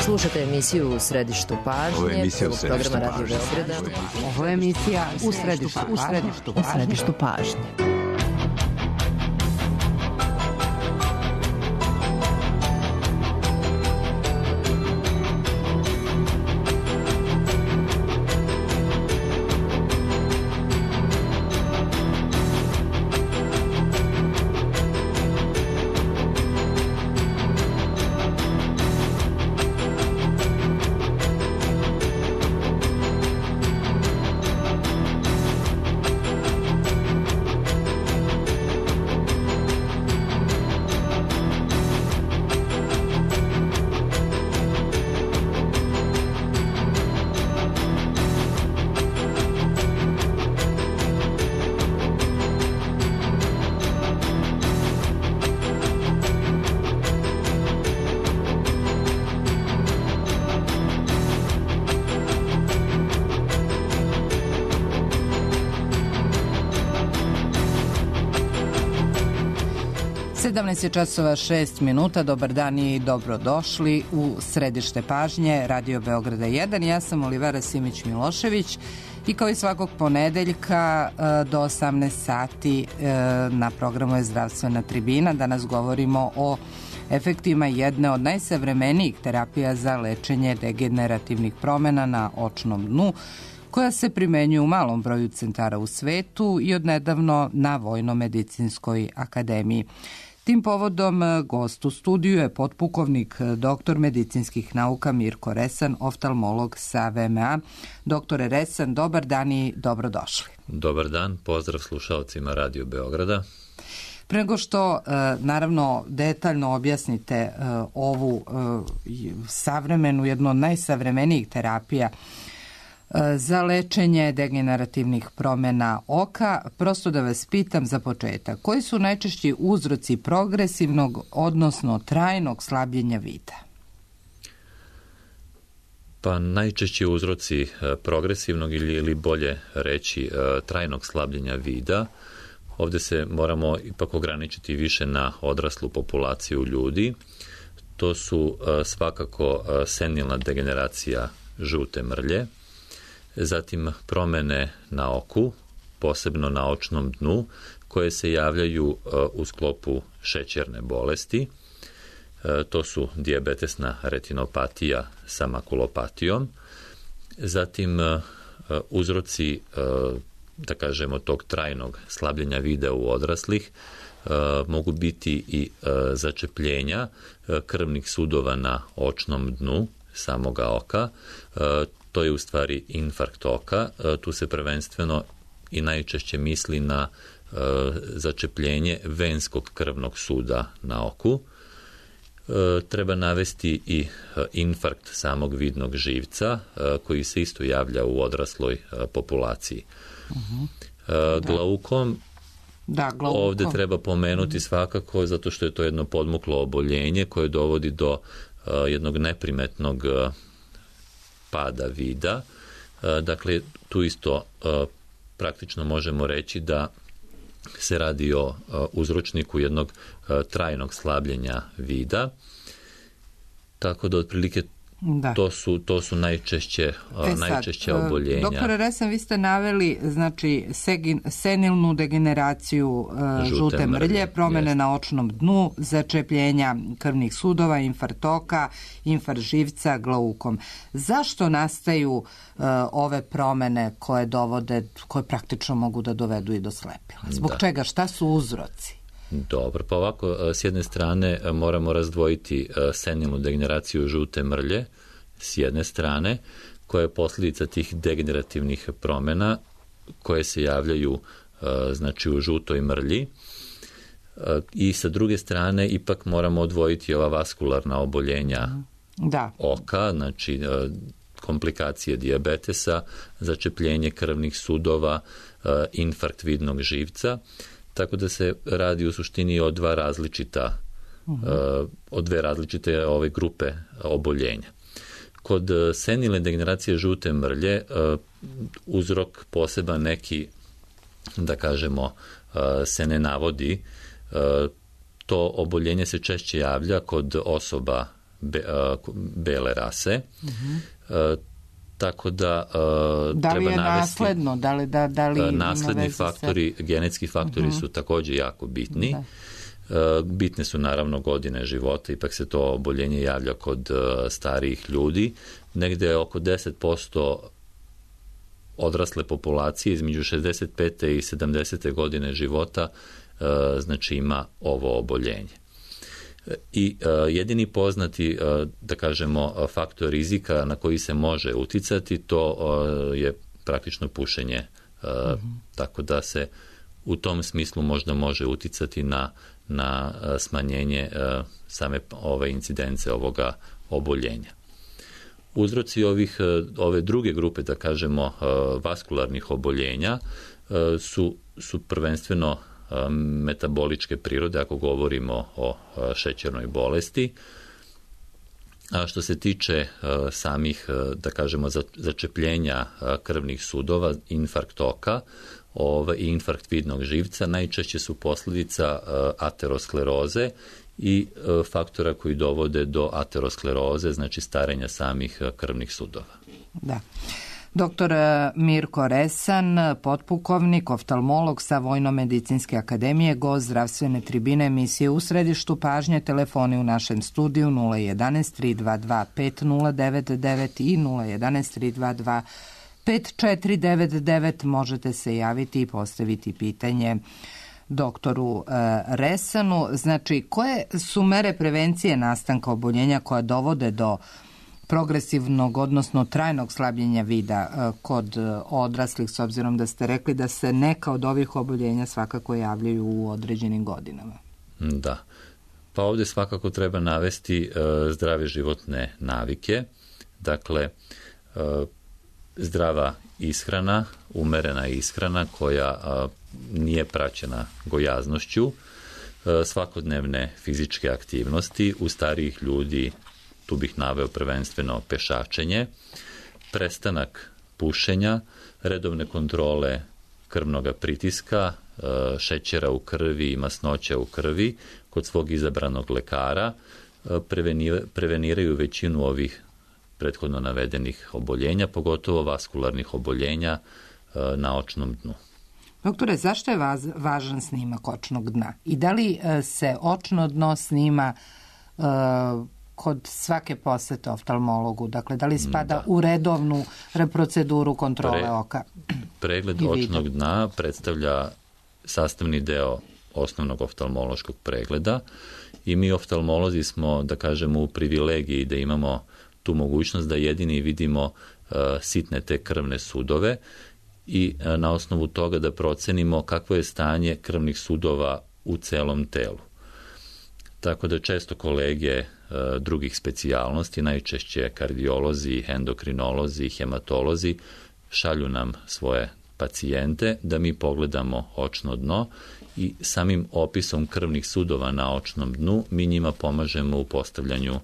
Slušate emisiju U središtu pažnje. Ovo je emisija U programa Radio Beograda. Ovo je emisija U središtu pažnje. Je časova 6 minuta. Dobar dan i dobrodošli u središte pažnje Radio Beograda 1. Ja sam Olivera Simić-Milošević i kao i svakog ponedeljka do 18 sati na programu je Zdravstvena tribina. Danas govorimo o efektima jedne od najsavremenijih terapija za lečenje degenerativnih promjena na očnom dnu, koja se primenjuje u malom broju centara u svetu i odnedavno na Vojno-medicinskoj akademiji. Tim povodom gost u studiju je potpukovnik doktor medicinskih nauka Mirko Resan, oftalmolog sa VMA. Doktore Resan, dobar dan i dobrodošli. Dobar dan, pozdrav slušalcima Radio Beograda. Pre nego što, naravno, detaljno objasnite ovu savremenu, jednu od najsavremenijih terapija za lečenje degenerativnih promjena oka, prosto da vas pitam za početak, koji su najčešći uzroci progresivnog, odnosno trajnog slabljenja vida? Pa najčešći uzroci progresivnog ili bolje reći trajnog slabljenja vida, ovdje se moramo ipak ograničiti više na odraslu populaciju ljudi. To su svakako senilna degeneracija žute mrlje, zatim promjene na oku, posebno na očnom dnu, koje se javljaju u sklopu šećerne bolesti. To su dijabetesna retinopatija sa makulopatijom. Zatim uzroci, da kažemo, tog trajnog slabljenja vida u odraslih mogu biti i začepljenja krvnih sudova na očnom dnu samoga oka. To je u stvari infarkt oka. Tu se prvenstveno i najčešće misli na začepljenje venskog krvnog suda na oku. Treba navesti i infarkt samog vidnog živca, koji se isto javlja u odrasloj populaciji. Glaukom, ovdje treba pomenuti svakako, zato što je to jedno podmuklo oboljenje koje dovodi do jednog neprimetnog pada vida. Dakle, tu isto praktično možemo reći da se radi o uzročniku jednog trajnog slabljenja vida. Tako da otprilike to su najčešće oboljenja. Doktore Resan, vi ste naveli, znači, senilnu degeneraciju žute mrlje, promjene na očnom dnu, začepljenja krvnih sudova, infarkt oka, infarkt živca, glaukom. Zašto nastaju ove promjene koje praktično mogu da dovedu i do slepila? Zbog čega? Šta su uzroci? Dobro, pa ovako, s jedne strane moramo razdvojiti senilnu degeneraciju žute mrlje, s jedne strane, koja je posljedica tih degenerativnih promjena koje se javljaju znači u žutoj mrlji, i sa druge strane ipak moramo odvojiti ova vaskularna oboljenja oka, znači komplikacije dijabetesa, začepljenje krvnih sudova, infarkt vidnog živca. Tako da se radi u suštini o dve različite ove grupe oboljenja. Kod senilne degeneracije žute mrlje uzrok poseban neki, da kažemo, se ne navodi. To oboljenje se češće javlja kod osoba bele rase. Tako da da li treba je navesti nasledno? Da li nasledni faktori, genetski faktori su također jako bitni. Bitne su naravno godine života, ipak se to oboljenje javlja kod starijih ljudi. Negde oko 10% odrasle populacije između 65. i 70. godine života znači ima ovo oboljenje. I jedini poznati, da kažemo, faktor rizika na koji se može uticati, to je praktično pušenje. Tako da se u tom smislu možda može uticati na smanjenje same ove incidence ovoga oboljenja. Uzroci ove druge grupe, da kažemo, vaskularnih oboljenja su prvenstveno metaboličke prirode, ako govorimo o šećernoj bolesti. A što se tiče samih, da kažemo, začepljenja krvnih sudova, infarkt oka i infarkt vidnog živca, najčešće su posljedica ateroskleroze i faktora koji dovode do ateroskleroze, znači starenja samih krvnih sudova. Da. Doktor Mirko Resan, potpukovnik, oftalmolog sa Vojno-medicinske akademije, gost zdravstvene tribine emisije U središtu pažnje. Telefoni u našem studiju 011 322 5099 i 011 322 5499. Možete se javiti i postaviti pitanje doktoru Resanu. Znači, koje su mere prevencije nastanka oboljenja koja dovode do progresivnog, odnosno trajnog slabljenja vida kod odraslih, s obzirom da ste rekli da se neka od ovih oboljenja svakako javljaju u određenim godinama? Da. Pa ovdje svakako treba navesti zdrave životne navike. Dakle, zdrava ishrana, umerena ishrana koja nije praćena gojaznošću, svakodnevne fizičke aktivnosti, u starijih ljudi tu bih naveo prvenstveno pešačenje, prestanak pušenja, redovne kontrole krvnog pritiska, šećera u krvi i masnoća u krvi kod svog izabranog lekara, preveniraju većinu ovih prethodno navedenih oboljenja, pogotovo vaskularnih oboljenja na očnom dnu. Doktore, zašto je važan snimak očnog dna? I da li se očno dno snima kod svake posete oftalmologu? Dakle, da li spada u redovnu proceduru kontrole oka? Pregled očnog dna predstavlja sastavni deo osnovnog oftalmološkog pregleda i mi oftalmolozi smo, da kažemo, u privilegiji da imamo tu mogućnost da jedini vidimo sitne te krvne sudove i na osnovu toga da procenimo kakvo je stanje krvnih sudova u celom telu. Tako da često kolege drugih specijalnosti, najčešće kardiolozi, endokrinolozi, hematolozi, šalju nam svoje pacijente da mi pogledamo očno dno i samim opisom krvnih sudova na očnom dnu mi njima pomažemo u postavljanju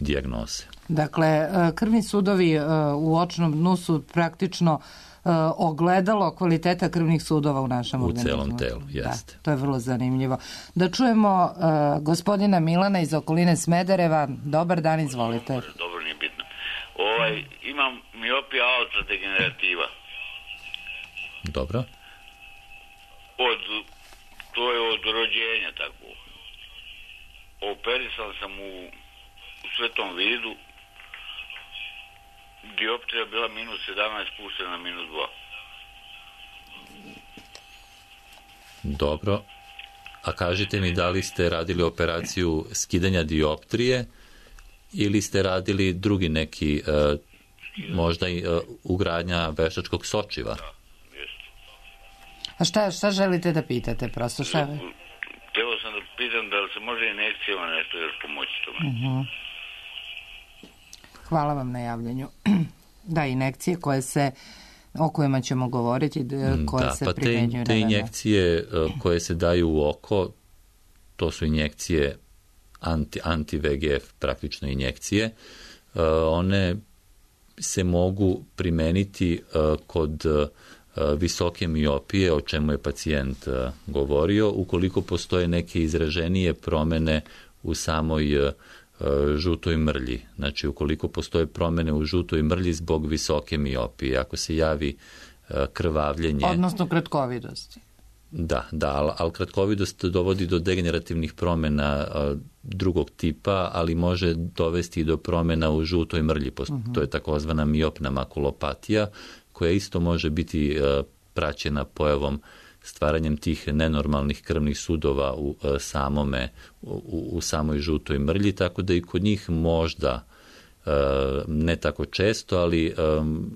dijagnoze. Dakle, krvni sudovi u očnom dnu su praktično ogledalo kvaliteta krvnih sudova u našem organizmu. U celom telu, jeste. Da, to je vrlo zanimljivo. Da čujemo gospodina Milana iz okoline Smedereva. Dobar dan, izvolite. Dobro, nije bitno. Imam miopija alta degenerativa. Dobro. To je od rođenja tako. Operisan sam u svetom vidu. Dioptrija bila minus 17, puštena na minus 2. Dobro. A kažite mi, da li ste radili operaciju skidanja dioptrije ili ste radili drugi neki, možda i ugradnja veštačkog sočiva? Da, jeste. A šta želite da pitate? Prosto šta? Hteo sam da pitam da li se može injekcijama nešto još pomoći tome. Hvala vam na javljanju. Da, injekcije o kojima ćemo govoriti, koje se primjenjuju. Te injekcije koje se daju u oko, to su injekcije anti-VEGF, praktično injekcije. One se mogu primeniti kod visoke miopije, o čemu je pacijent govorio, ukoliko postoje neke izraženije promene u samoj žutoj mrlji. Znači, ukoliko postoje promjene u žutoj mrlji zbog visoke miopije, ako se javi krvavljenje... Odnosno kratkovidosti. Da, ali kratkovidost dovodi do degenerativnih promjena drugog tipa, ali može dovesti do promjena u žutoj mrlji. To je takozvana miopna makulopatija, koja isto može biti praćena pojavom stvaranjem tih nenormalnih krvnih sudova u samoj žutoj mrlji, tako da i kod njih možda, ne tako često, ali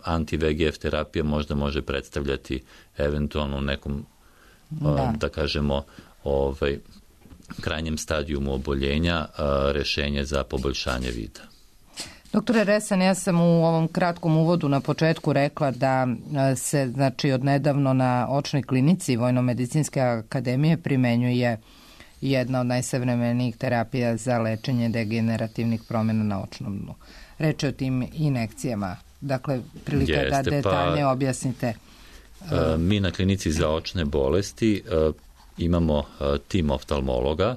anti-VEGF terapija možda može predstavljati eventualno nekom, da kažemo, krajnjem stadijumu oboljenja rješenje za poboljšanje vida. Doktore Resan, ja sam u ovom kratkom uvodu na početku rekla da se, znači, odnedavno na očnoj klinici Vojno-medicinske akademije primenjuje jedna od najsavremenijih terapija za lečenje degenerativnih promjena na očnom dnu. Reč je o tim injekcijama. Dakle, prilika je da detaljnije objasnite. Mi na klinici za očne bolesti imamo tim oftalmologa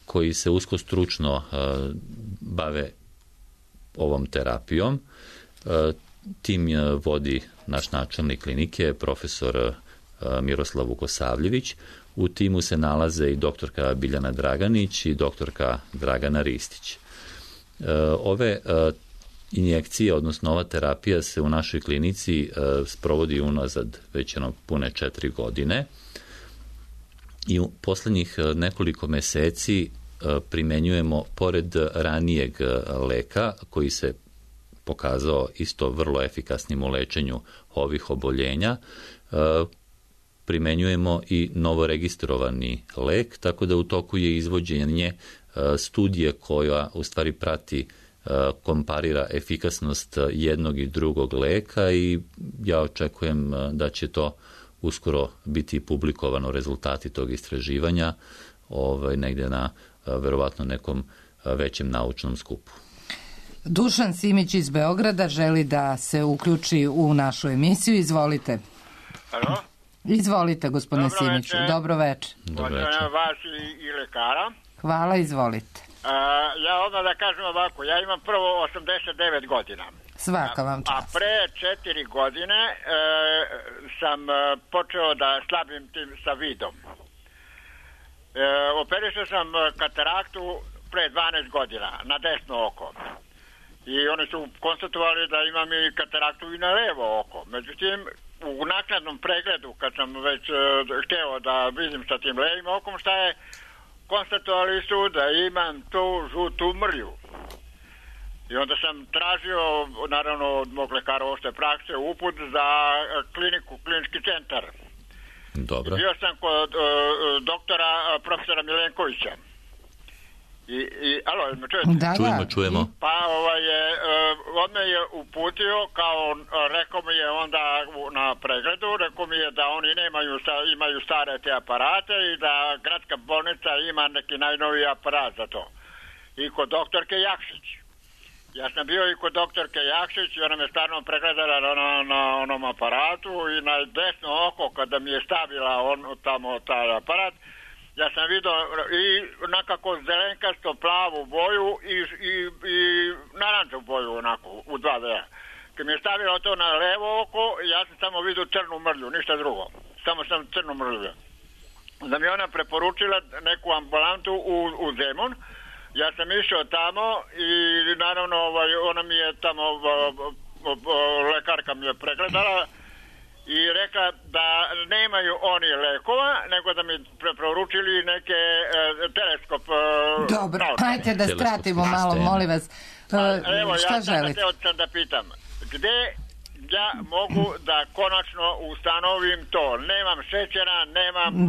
koji se usko stručno bave ovom terapijom. Tim vodi naš načelnik klinike, profesor Miroslav Vukosavljević. U timu se nalaze i doktorka Biljana Draganić i doktorka Dragana Ristić. Ove injekcije, odnosno ova terapija se u našoj klinici sprovodi unazad već pune 4 godine i u posljednjih nekoliko mjeseci primenjujemo, pored ranijeg leka koji se pokazao isto vrlo efikasnim u lečenju ovih oboljenja, primenjujemo i novoregistrovani lek, tako da u toku je izvođenje studije koja u stvari prati, komparira efikasnost jednog i drugog leka i ja očekujem da će to uskoro biti publikovano, rezultati tog istraživanja, negdje na verovatno nekom većem naučnom skupu. Dušan Simić iz Beograda želi da se uključi u našu emisiju. Izvolite. Halo? Izvolite, gospodine Simiću. Dobro večer. Dobro večer. Vas i lekara. Hvala, izvolite. Ja odmah da kažem ovako, ja imam prvo 89 godina. Svaka vam čast. A pre 4 godine sam počeo da slabim tim sa vidom. Operisao sam kataraktu pre 12 godina na desno oko. I oni su konstatovali da imam i kataraktu i na levo oko. Međutim, u naknadnom pregledu, kad sam već hteo da vidim sa tim levim okom šta je, konstatovali su da imam tu žutu mrlju. I onda sam tražio, naravno, od mog lekara opšte prakse, uput za klinički centar. Dobro. Bio sam kod doktora, profesora Milenkovića. Alo, me čujete? Čujemo. Pa on me je uputio, kao rekao mi je onda na pregledu, rekao mi je da oni imaju stare te aparate i da gradska bolnica ima neki najnoviji aparat za to. I kod doktorke Jakšić. Ja sam bio i kod doktorke Jakšić i ona me stvarno pregledala na onom aparatu i na desno oko kada mi je stavila tamo taj aparat, ja sam vidio i nekako zelenkasto plavu boju i naranču boju onako u 2D. Kad mi je stavila to na levo oko, ja sam samo vidio crnu mrlju, ništa drugo. Samo sam crnu mrlju. Da mi ona preporučila neku ambulantu u Zemun. Ja sam išao tamo i naravno ona mi je tamo, lekarka mi je pregledala i rekla da nemaju oni lekova, nego da mi preporučili neke teleskop. Dobro, hajte da skratimo malo, molim vas. Evo, šta želite? Ja sam da pitam, gde ja mogu da konačno ustanovim to? Nemam šećera, nemam...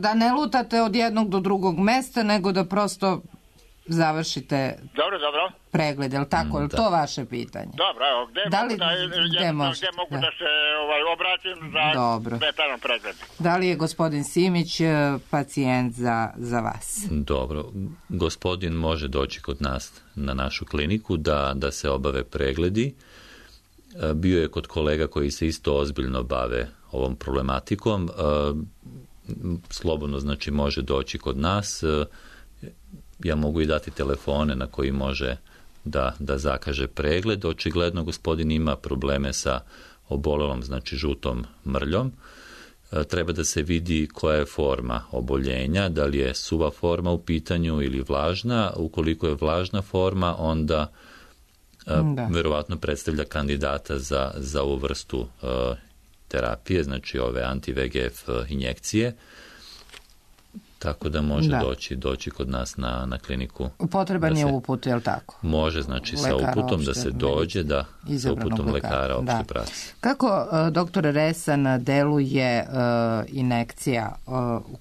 Da ne lutate od jednog do drugog mesta, nego da prosto završite pregled, je li tako? Je li to vaše pitanje? Dobro, evo, gde mogu da se obratim za detaljan pregled? Da li je gospodin Simić pacijent za vas? Dobro, gospodin može doći kod nas na našu kliniku da se obave pregledi. Bio je kod kolega koji se isto ozbiljno bave ovom problematikom. Slobodno, znači, može doći kod nas. ja mogu i dati telefone na koji može da zakaže pregled. Očigledno gospodin ima probleme sa obolelom, znači žutom mrljom. Treba da se vidi koja je forma oboljenja, da li je suva forma u pitanju ili vlažna. Ukoliko je vlažna forma, onda verovatno predstavlja kandidata za ovu vrstu terapije, znači ove anti-VEGF injekcije. Tako da može doći kod nas na kliniku. Potreban je uput, je li tako? Može, znači sa uputom da se dođe, sa uputom lekara opšte prakse. Kako, doktore Resan, deluje injekcija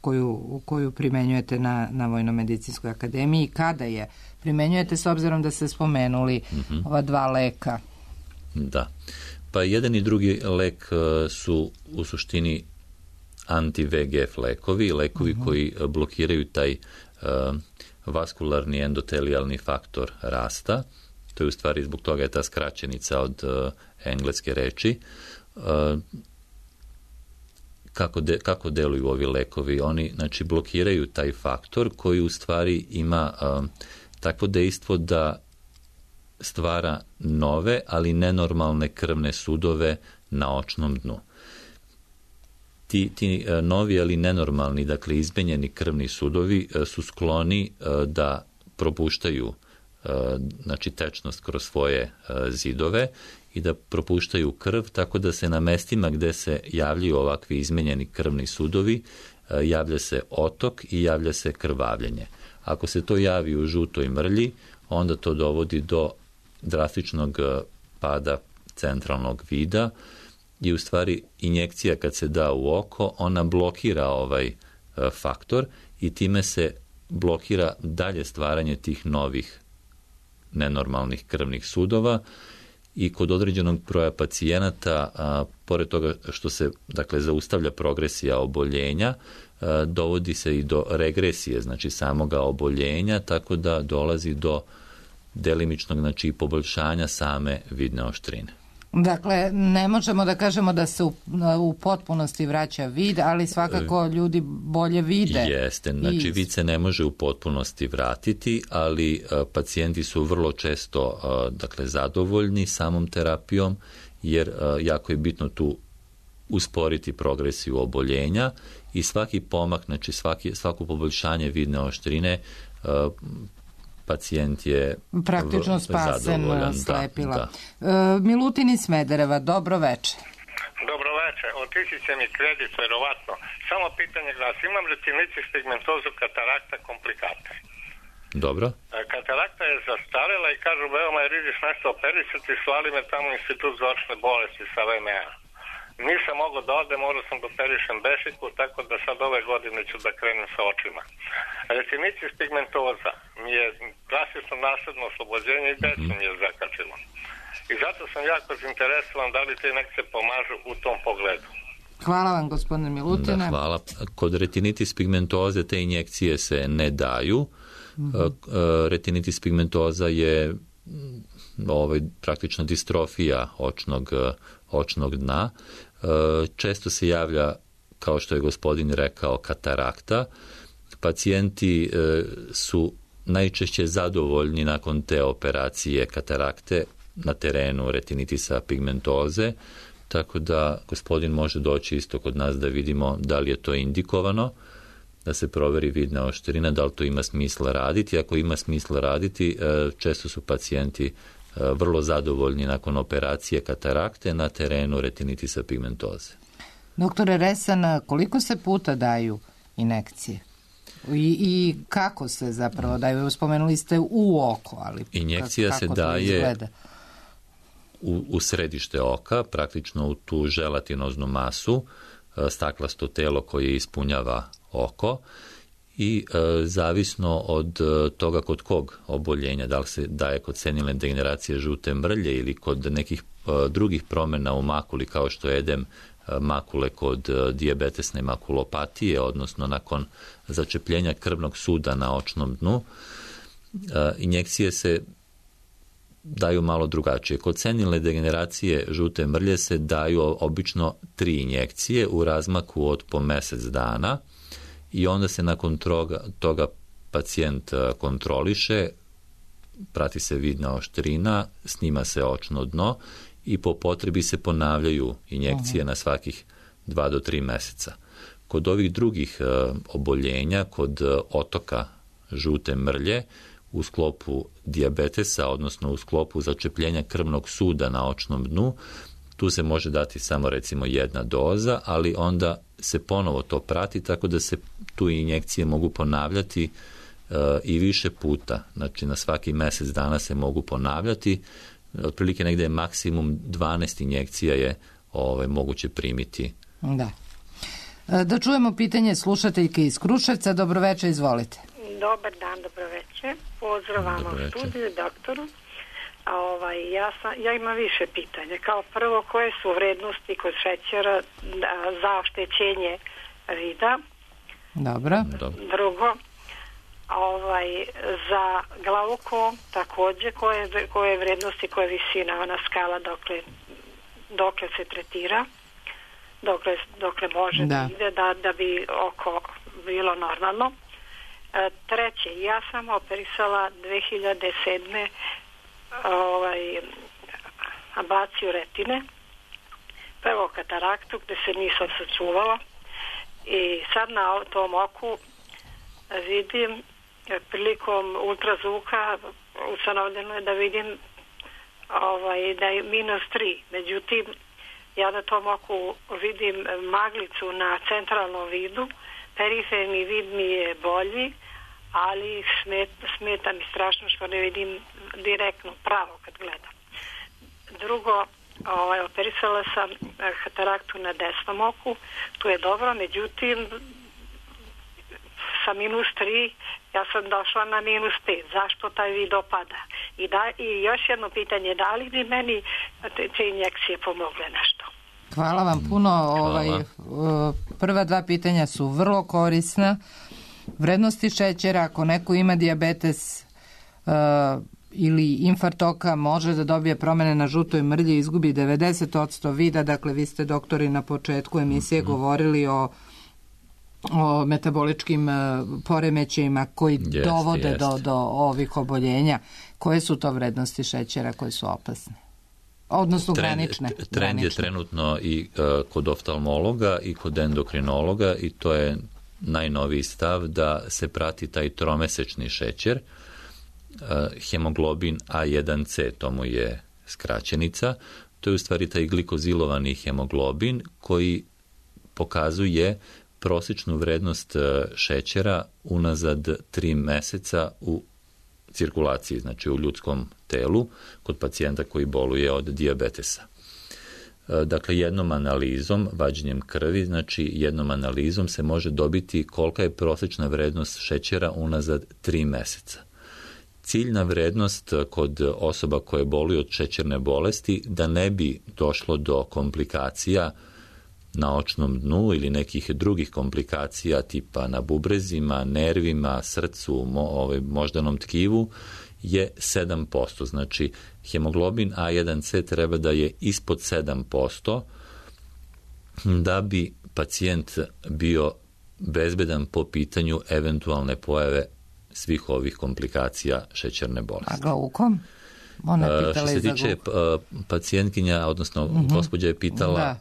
u koju primenjujete na Vojno-medicinskoj akademiji? Kada je primenjujete, s obzirom da ste spomenuli ova dva leka? Da. Pa jedan i drugi lek su u suštini anti-VEGF lekovi koji blokiraju taj vaskularni endotelijalni faktor rasta. To je u stvari, zbog toga je ta skraćenica od engleske reči. Kako deluju ovi lekovi? Oni, znači, blokiraju taj faktor koji u stvari ima takvo dejstvo da stvara nove, ali nenormalne krvne sudove na očnom dnu. Ti novi, ali nenormalni, dakle izmenjeni krvni sudovi su skloni da propuštaju znači tečnost kroz svoje zidove i da propuštaju krv, tako da se na mestima gde se javljaju ovakvi izmenjeni krvni sudovi javlja se otok i javlja se krvavljenje. Ako se to javi u žutoj mrlji, onda to dovodi do drastičnog pada centralnog vida i u stvari injekcija kad se da u oko, ona blokira ovaj faktor i time se blokira dalje stvaranje tih novih nenormalnih krvnih sudova i kod određenog broja pacijenata, pored toga što se dakle zaustavlja progresija oboljenja, dovodi se i do regresije, znači samoga oboljenja, tako da dolazi do delimičnog, znači poboljšanja same vidne oštrine. Dakle, ne možemo da kažemo da se u potpunosti vraća vid, ali svakako ljudi bolje vide. Jeste, znači vid se ne može u potpunosti vratiti, ali pacijenti su vrlo često dakle, zadovoljni samom terapijom, jer jako je bitno tu usporiti progresiju oboljenja i svaki pomak, znači svako poboljšanje vidne oštrine pacijent je praktično spasen slepila. Milutin iz Smedereva, dobro veče. Dobro veče, otići će mi kredit verovatno. Samo pitanje glasi, imam retinitis pigmentozu, katarakta, komplikate. Dobro. Katarakta je zastarela i kažu veoma je riziš nešto operisati, slali me tamo u institut za očne bolesti sa VMA. Nisam mogao da odem, morao sam da operišem bešiku, tako da sad ove godine ću da krenem sa očima. Retinitis pigmentoza mi je klasično nasledno oslobođenje i decu mi je zakačilo. I zato sam jako zainteresovan da li te injekcije pomažu u tom pogledu. Hvala vam, gospodine Milutine. Da, hvala. Kod retinitis pigmentoze te injekcije se ne daju. Retinitis pigmentoza je praktično distrofija očnog dna. Često se javlja, kao što je gospodin rekao, katarakta. Pacijenti su najčešće zadovoljni nakon te operacije katarakte na terenu retinitisa pigmentoze, tako da gospodin može doći isto kod nas da vidimo da li je to indikovano, da se proveri vidna oštrina, da li to ima smisla raditi. Ako ima smisla raditi, često su pacijenti vrlo zadovoljni nakon operacije katarakte na terenu retinitisa pigmentoze. Doktore Resan, koliko se puta daju injekcije? I kako se zapravo daju? Spomenuli ste u oko, ali injekcija se daje u središte oka, praktično u tu želatinoznu masu, staklasto telo koje ispunjava oko i zavisno od toga kod kog oboljenja, da li se daje kod senilne degeneracije žute mrlje ili kod nekih drugih promjena u makuli kao što je edem makule kod dijabetesne makulopatije, odnosno nakon začepljenja krvnog suda na očnom dnu, injekcije se daju malo drugačije. Kod senilne degeneracije žute mrlje se daju obično 3 injekcije u razmaku od po mjesec dana i onda se nakon toga pacijent kontroliše, prati se vidna oštrina, snima se očno dno i po potrebi se ponavljaju injekcije na svakih 2 do 3 meseca. Kod ovih drugih oboljenja, kod otoka žute mrlje, u sklopu dijabetesa, odnosno u sklopu začepljenja krvnog suda na očnom dnu, tu se može dati samo recimo 1 doza, ali onda se ponovo to prati, tako da se tu injekcije mogu ponavljati i više puta. Znači na svaki mjesec dana se mogu ponavljati. Otprilike negdje je maksimum 12 injekcija je moguće primiti. Da. Da čujemo pitanje slušateljke iz Kruševca. Dobroveče, izvolite. Dobar dan, dobroveče. Pozdrav vama u studiju, doktoru. Ja imam više pitanja. Kao prvo, koje su vrednosti kod šećera za oštećenje vida? Dobro. Drugo, za glaukom također, koje vrednosti, koja visina, ona skala dokle se tretira, dokle može da ide da bi oko bilo normalno. Treće, ja sam operisala 2007. ablaciju retine, prvo kataraktu gde se nisam sačuvala i sad na tom oku vidim prilikom ultrazvuka ustanovljeno je da vidim da je -3. Međutim, ja na tom oku vidim maglicu na centralnom vidu, periferni vid mi je bolji, ali smeta mi strašno što ne vidim direktno pravo kad gledam. Drugo, operisala sam kataraktu na desnom oku, tu je dobro, međutim sa -3 ja sam došla na -5. Zašto taj vid opada? I još jedno pitanje, da li bi meni te injekcije pomogle nešto? Hvala vam puno. Prva 2 pitanja su vrlo korisna. Vrednosti šećera, ako neko ima dijabetes ili infarkt oka, može da dobije promene na žutoj mrlji, izgubi 90% vida. Dakle, vi ste, doktori, na početku emisije govorili o metaboličkim poremećajima koji dovode do ovih oboljenja. Koje su to vrednosti šećera koje su opasne? Odnosno granične. Trend je trenutno i kod oftalmologa i kod endokrinologa i to je najnoviji stav da se prati taj tromesečni šećer, hemoglobin A1C, to mu je skraćenica, to je u stvari taj glikozilovani hemoglobin koji pokazuje prosječnu vrednost šećera unazad 3 meseca u cirkulaciji, znači u ljudskom telu, kod pacijenta koji boluje od dijabetesa. Dakle, jednom analizom, vađenjem krvi, znači jednom analizom se može dobiti kolika je prosječna vrednost šećera unazad 3 meseca. Ciljna vrednost kod osoba koje boluju od šećerne bolesti da ne bi došlo do komplikacija na očnom dnu ili nekih drugih komplikacija tipa na bubrezima, nervima, srcu, moždanom tkivu je 7%. Znači, hemoglobin A1C treba da je ispod 7% da bi pacijent bio bezbedan po pitanju eventualne pojave svih ovih komplikacija šećerne bolesti. A glaukom? Što se tiče pacijentkinja, odnosno gospođa je pitala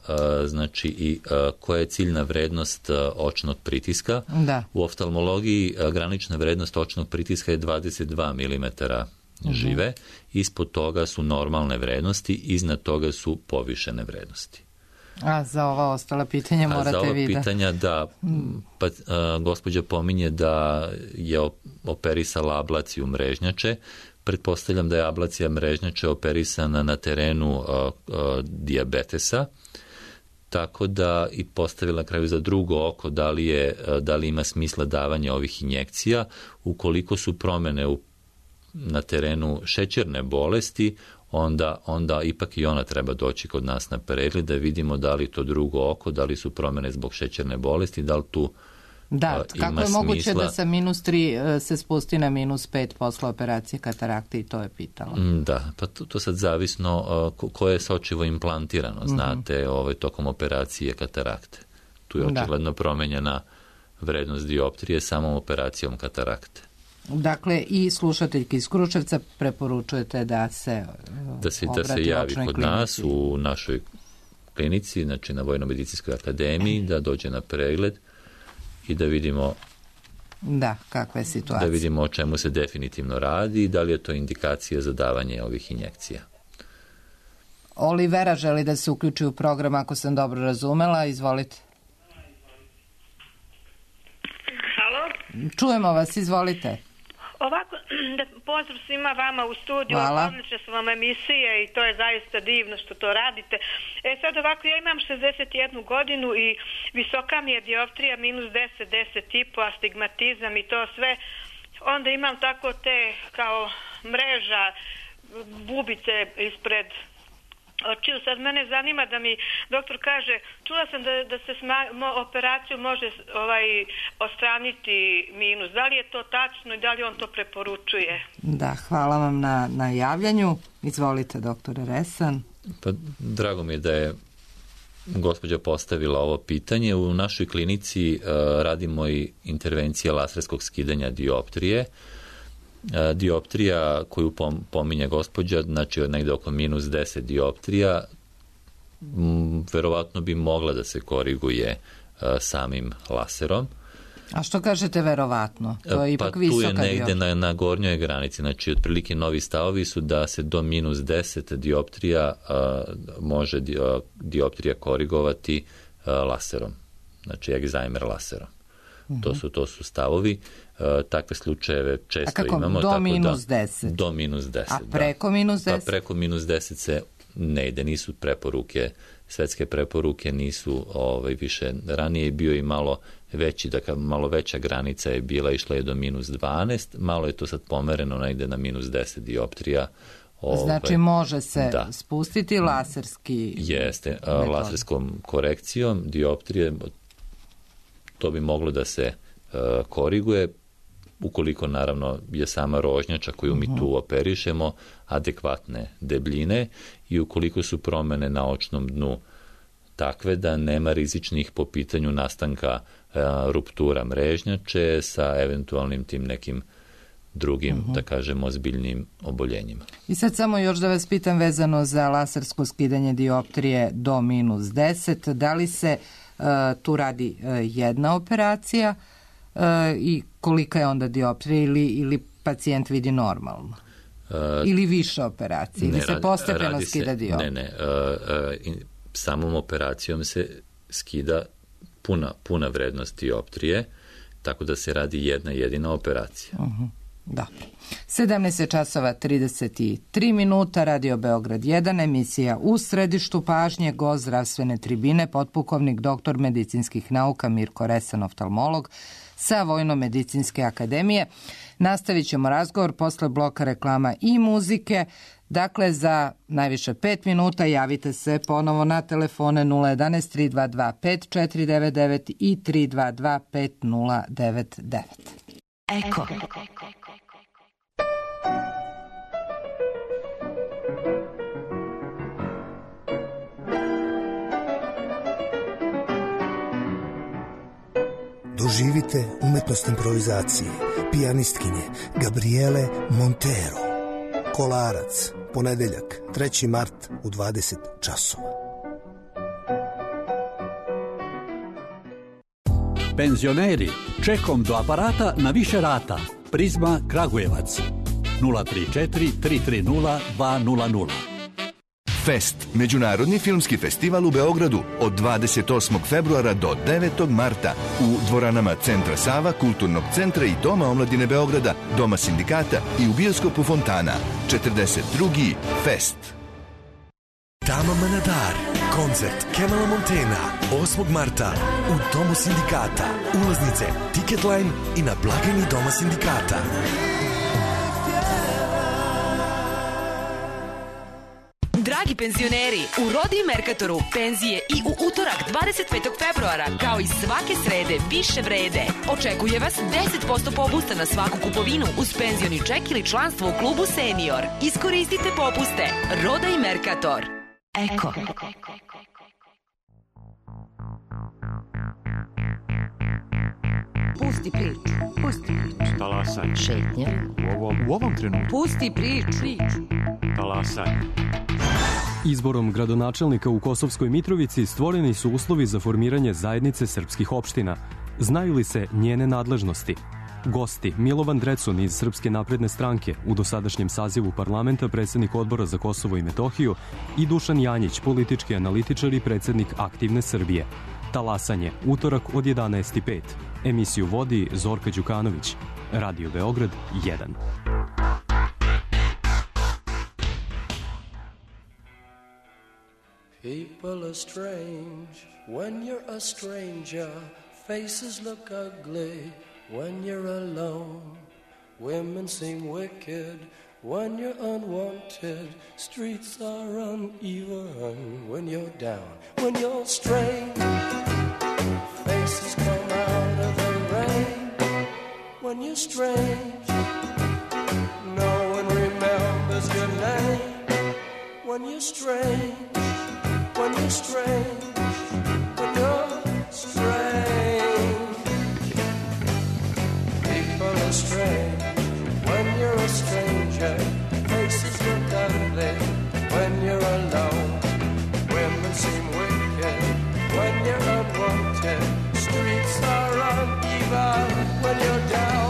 znači i koja je ciljna vrednost očnog pritiska. Da. U oftalmologiji granična vrednost očnog pritiska je 22 mm žive. Ispod toga su normalne vrednosti, iznad toga su povišene vrednosti. A za ova ostala pitanja morate vidjeti. Za ova pitanja da gospođa pominje da je operisala ablaciju mrežnjače. Pretpostavljam da je ablacija mrežnjače operisana na terenu dijabetesa, tako da i postavila na kraju za drugo oko da li ima smisla davanja ovih injekcija. Ukoliko su promjene na terenu šećerne bolesti, onda ipak i ona treba doći kod nas na pregled da vidimo da li to drugo oko, da li su promjene zbog šećerne bolesti, da li tu kako je moguće da sa -3 se spusti na -5 posle operacije katarakte, i to je pitala. Da, pa to sad zavisno koje je sočivo implantirano, znate, tokom operacije katarakte. Tu je očigledno promenjena vrednost dioptrije samom operacijom katarakte. Dakle, i slušateljki iz Kruševca preporučujete da se javi kod nas u našoj klinici, znači na Vojno-medicinskoj akademiji, da dođe na pregled i da vidimo kakva je situacija. Da vidimo o čemu se definitivno radi i da li je to indikacija za davanje ovih injekcija. Olivera želi da se uključi u program, ako sam dobro razumela. Izvolite. Halo? Čujemo vas, izvolite. Ovako, pozdrav svima vama u studiju, odlične su vam emisije i to je zaista divno što to radite. Sad ovako, ja imam 61 godinu i visoka mi je dioptrija -10, 10,5, astigmatizam i to sve. Onda imam tako te kao mreža, bubice ispred očiju. Sad mene zanima da mi doktor kaže, čula sam da se operaciju može odstraniti minus. Da li je to tačno i da li on to preporučuje? Da, hvala vam na javljanju. Izvolite, doktore Resan. Pa, drago mi je da je gospođa postavila ovo pitanje. U našoj klinici radimo i intervencije laserskog skidanja dioptrije. Dioptrija koju pominje gospođa, znači negde oko -10 dioptrija, verovatno bi mogla da se koriguje samim laserom. A što kažete verovatno? To je ipak visoka dioptrija. Tu je negde na gornjoj granici, znači otprilike novi stavovi su da se do -10 dioptrija može dioptrija korigovati laserom, znači egzajmer laserom. To su stavovi. Takve slučajeve često imamo. Do -10? Do -10. A preko -10? Pa preko -10 se ne ide, nisu preporuke, svetske preporuke nisu više. Ranije je bio i malo veći, dakle malo veća granica je bila, išla je do -12, malo je to sad pomereno negde na -10 dioptrija. Znači može se spustiti laserski Jeste, laserskom korekcijom dioptrije to bi moglo da se koriguje, ukoliko naravno je sama rožnjača koju mi tu operišemo adekvatne debljine i ukoliko su promene na očnom dnu takve da nema rizičnih po pitanju nastanka ruptura mrežnjače sa eventualnim tim nekim drugim, da kažemo, ozbiljnim oboljenjima. I sad samo još da vas pitam vezano za lasersko skidanje dioptrije do -10, da li se tu radi jedna operacija i kolika je onda dioptrija ili pacijent vidi normalno? Ili više operacija? Ili se postepeno skida dioptrija? Ne. Samom operacijom se skida puna vrednost dioptrije, tako da se radi jedna jedina operacija. Da. 17:33, Radio Beograd 1, emisija U središtu pažnje, gost zdravstvene tribine, potpukovnik doktor medicinskih nauka Mirko Resan, oftalmolog sa Vojno-medicinske akademije. Nastavit ćemo razgovor posle bloka reklama i muzike. Dakle, za najviše 5 minuta javite se ponovo na telefone 011 322 5499 i 322 5099. Eko. Doživite umetnost improvizacije pijanistkinje Gabriele Montero. Kolarac, ponedeljak, 3. mart u 20 časova. Penzioneri, čekom do aparata na više rata. Prizma Kragujevac 034 330 200. Fest, međunarodni filmski festival u Beogradu od 28. februara do 9. marta u dvoranama Centra Sava, Kulturnog centra i Doma omladine Beograda, Doma sindikata i u bioskopu Fontana. 42. Fest. Tama Manadar, koncert Kemala Montena, 8. marta u Domu sindikata. Ulaznice Ticketline i na blagajni Doma sindikata. Dragi penzioneri, u Rodi i Merkatoru penzije i u utorak 25. februara, kao i svake srede, više vrede. Očekuje vas 10% popusta na svaku kupovinu uz penzioni ček ili članstvo u klubu Senior. Iskoristite popuste. Roda i Merkator. Eko. Pusti priču. Talasaj. Šetnja. U ovom trenutku. Pusti priču. Talasaj. Izborom gradonačelnika u Kosovskoj Mitrovici stvoreni su uslovi za formiranje zajednice srpskih opština. Znaju li se njene nadležnosti? Gosti: Milovan Drecun iz Srpske napredne stranke, u dosadašnjem sazivu parlamenta predsednik Odbora za Kosovo i Metohiju, i Dušan Janjić, politički analitičar i predsednik Aktivne Srbije. Talasanje, utorak od 11:05. Emisiju vodi Zorka Đukanović. Radio Beograd 1. People are strange when you're a stranger. Faces look ugly when you're alone. Women seem wicked when you're unwanted. Streets are uneven when you're down. When you're strange, faces come out of the rain. When you're strange, no one remembers your name. When you're strange, when you're strange, when you're strange. People are strange when you're a stranger. Faces look ugly when you're alone. Women seem wicked when you're unwanted. Streets are uneven when you're down.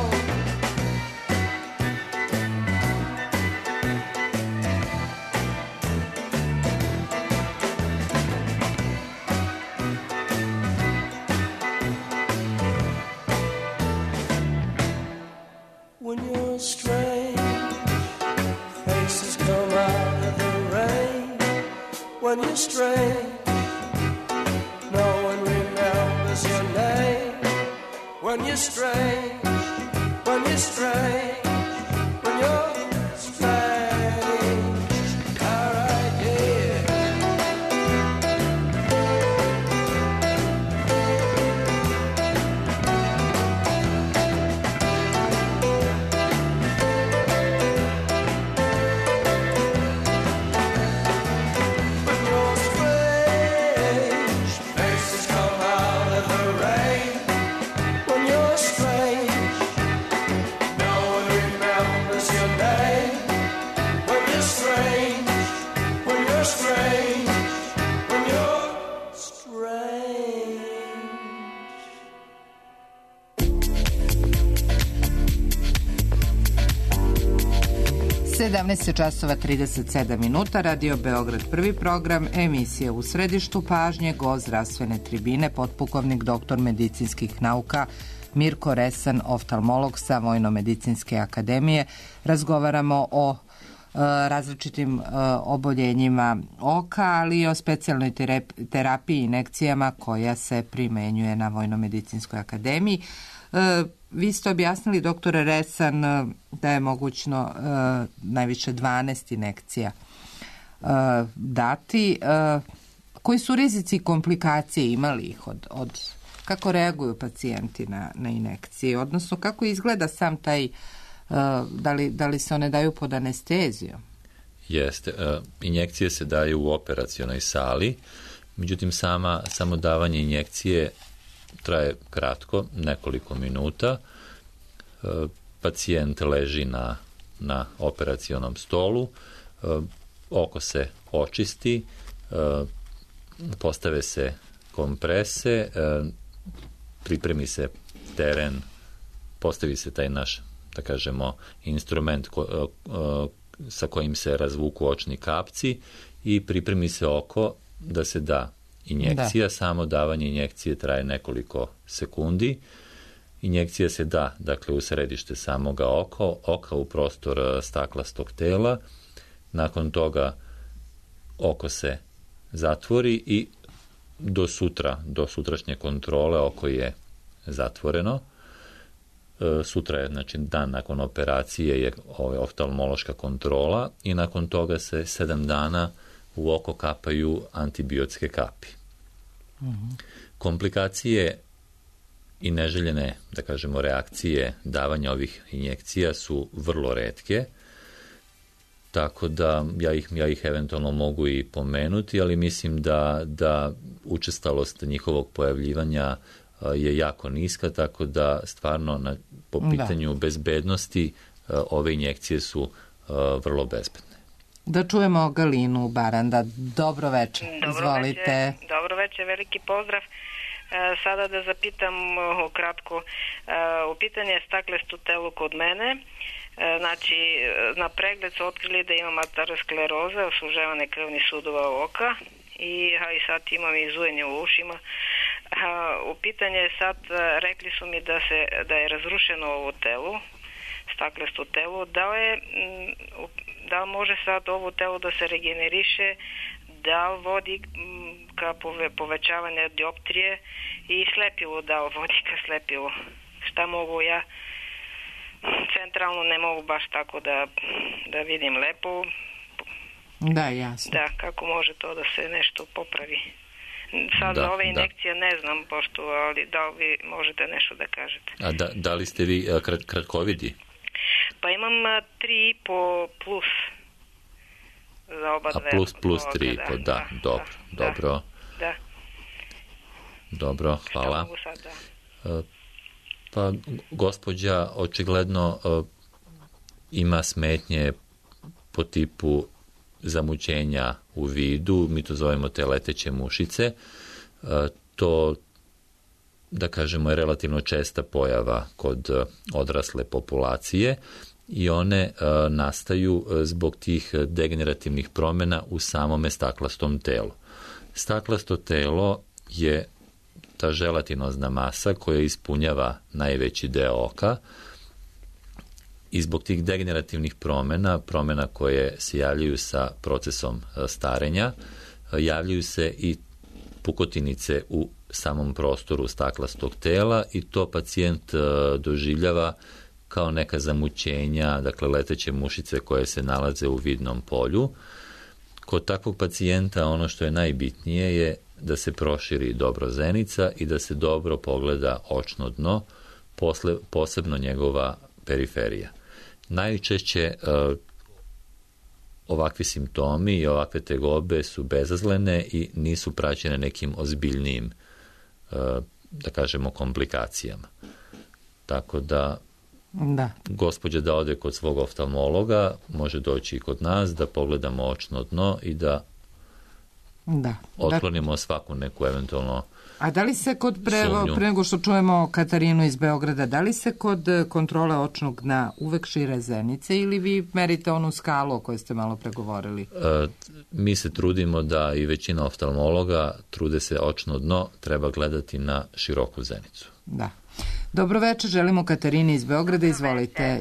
When you're strange, faces come out of the rain. When you're strange, no one remembers your name. When you're strange, when you're strange, when you're strange. All right, yeah. časova 37 minuta, Radio Beograd, prvi program, emisija U središtu pažnje, gost zdravstvene tribine, potpukovnik doktor medicinskih nauka Mirko Resan, oftalmolog sa Vojno-medicinske akademije. Razgovaramo o različitim oboljenjima oka, ali i o specijalnoj terapiji i injekcijama koja se primenjuje na Vojno-medicinskoj akademiji. Vi ste objasnili, doktore Resan, da je mogućno najviše 12 injekcija dati. Koji su rizici i komplikacije, imali ih od kako reaguju pacijenti na injekcije, odnosno kako izgleda sam taj, da li se one daju pod anestezijom? Jeste, injekcije se daju u operacionoj sali, međutim samo davanje injekcije traje kratko, nekoliko minuta. Pacijent leži na operacionom stolu, oko se očisti, postave se komprese, pripremi se teren, postavi se taj naš, da kažemo, instrument sa kojim se razvuku očni kapci i pripremi se oko da se da injekcija. Samo davanje injekcije traje nekoliko sekundi. Injekcija se da, dakle, u središte samoga oka u prostor staklastog tela. Nakon toga oko se zatvori i do sutrašnje kontrole oko je zatvoreno. Sutra je, znači, dan nakon operacije je oftalmološka kontrola i nakon toga se 7 dana u oko kapaju antibiotske kapi. Komplikacije i neželjene, da kažemo, reakcije davanja ovih injekcija su vrlo retke, tako da ja ih eventualno mogu i pomenuti, ali mislim da učestalost njihovog pojavljivanja je jako niska, tako da stvarno po pitanju bezbednosti ove injekcije su vrlo bezbedne. Da čujemo Galinu Baranda. Dobro večer, izvolite. Dobro večer, veliki pozdrav. Sada da zapitam ukratko, u pitanje je staklestu telu kod mene. Znači, na pregled su otkrili da imam ateroskleroze, osuževane krvnih sudova oka i sad imam i zujenje u ušima. U pitanje je sad, rekli su mi da je razrušeno ovo telo, staklesto telo, da li može sad ovo telo da se regeneriše, da li vodi ka povećavanje dioptrije i slepivo, da li vodi ka slepivo. Šta mogu ja? Centralno ne mogu baš tako da vidim lepo. Da, jasno. Da, kako može to da se nešto popravi. Sad za ove injekcije ne znam, pošto, ali da li vi možete nešto da kažete. A da li ste vi kratkovidi? Pa imam 3,5 plus za oba dve. A plus 3,5, da, dobro. Da. Dobro, hvala. Pa gospođa očigledno ima smetnje po tipu zamućenja u vidu, mi to zovemo te leteće mušice. To, da kažemo, je relativno česta pojava kod odrasle populacije i one nastaju zbog tih degenerativnih promjena u samome staklastom telu. Staklasto telo je ta želatinozna masa koja ispunjava najveći deo oka i zbog tih degenerativnih promjena koje se javljaju sa procesom starenja, javljaju se i pukotinice u samom prostoru staklastog tela i to pacijent doživljava kao neka zamućenja, dakle leteće mušice koje se nalaze u vidnom polju. Kod takvog pacijenta ono što je najbitnije je da se proširi dobro zenica i da se dobro pogleda očno dno, posebno njegova periferija. Najčešće ovakvi simptomi i ovakve tegobe su bezazlene i nisu praćene nekim ozbiljnijim, da kažemo, komplikacijama. Tako da gospođa da ode kod svog oftalmologa, može doći i kod nas da pogledamo očno dno i da otklonimo svaku neku eventualno. A da li se kod pre nego što čujemo Katarinu iz Beograda, da li se kod kontrole očnog dna uvek šire zenice ili vi merite onu skalu o kojoj ste malo pregovorili? Mi se trudimo da i većina oftalmologa trude se očno dno treba gledati na široku zenicu. Da. Dobro večer, želimo Katarini iz Beograda, izvolite.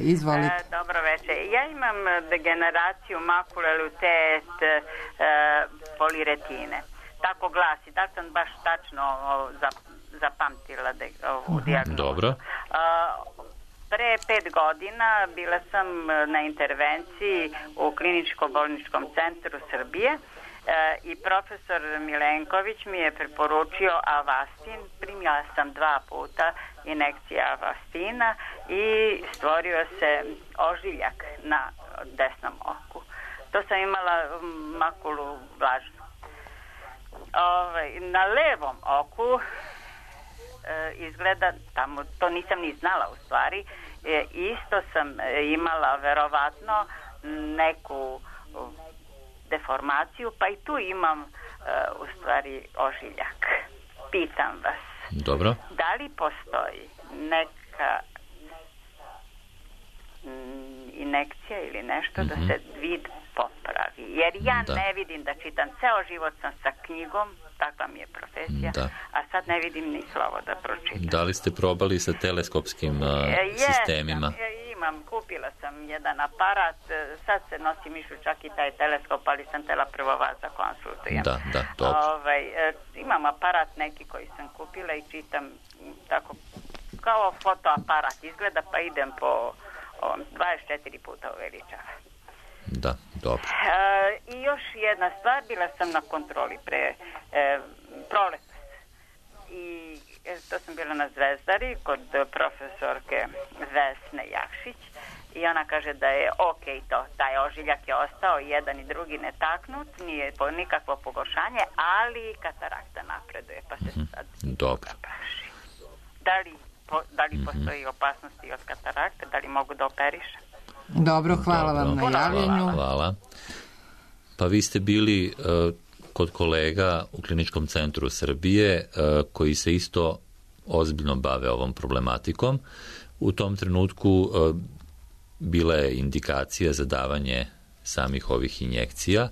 Dobro večer. Ja imam degeneraciju makule luteet poliretine. Tako glasi, da sam baš tačno zapamtila ovu dijagnozu. Dobro. Pre 5 godina bila sam na intervenciji u kliničko-bolničkom centru Srbije i profesor Milenković mi je preporučio Avastin. Primila sam 2 puta injekcija Avastina i stvorio se ožiljak na desnom oku. To sam imala makulu vlažnu. Na levom oku izgleda, tamo, to nisam ni znala u stvari, isto sam imala verovatno neku deformaciju, pa i tu imam u stvari ožiljak. Pitam vas. Dobro. Da li postoji neka injekcija ili nešto da se vid popravi? Jer ja ne vidim da čitam. Ceo život sam sa knjigom, takva mi je profesija, a sad ne vidim ni slovo da pročitam. Da li ste probali sa teleskopskim sistemima? Imam, kupila sam jedan aparat, sad se nosim išli čak i taj teleskop, ali sam tela prvo vas da konsultujem. Da, dobro. Imam aparat neki koji sam kupila i čitam tako kao fotoaparat izgleda, pa idem po 24 puta uveličava. Da, dobro. I još jedna stvar, bila sam na kontroli pre proletos i to sam bila na Zvezdari kod profesorke Vesne Jakšić i ona kaže da je ok to, taj ožiljak je ostao jedan i drugi netaknut, nije nikakvo pogoršanje, ali katarakta napreduje, pa se sad dobro. praši. Da li postoji opasnosti od katarakte, da li mogu da operišem? Dobro, hvala vam na javljenju. Hvala. Pa vi ste bili kod kolega u Kliničkom centru Srbije koji se isto ozbiljno bave ovom problematikom. U tom trenutku bila je indikacija za davanje samih ovih injekcija.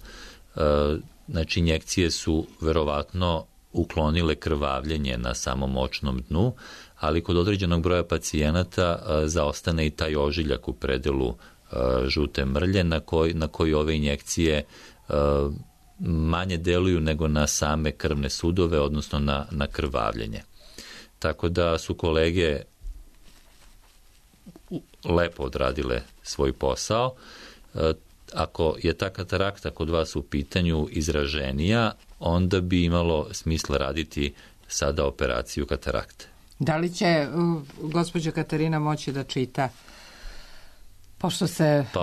Znači, injekcije su verovatno uklonile krvavljenje na samom očnom dnu, ali kod određenog broja pacijenata zaostane i taj ožiljak u predelu žute mrlje na koji ove injekcije manje deluju nego na same krvne sudove, odnosno na krvavljenje. Tako da su kolege lepo odradile svoj posao. Ako je ta katarakta kod vas u pitanju izraženija, onda bi imalo smisla raditi sada operaciju katarakte. Da li će gospođa Katarina moći da čita? Pošto se... Pa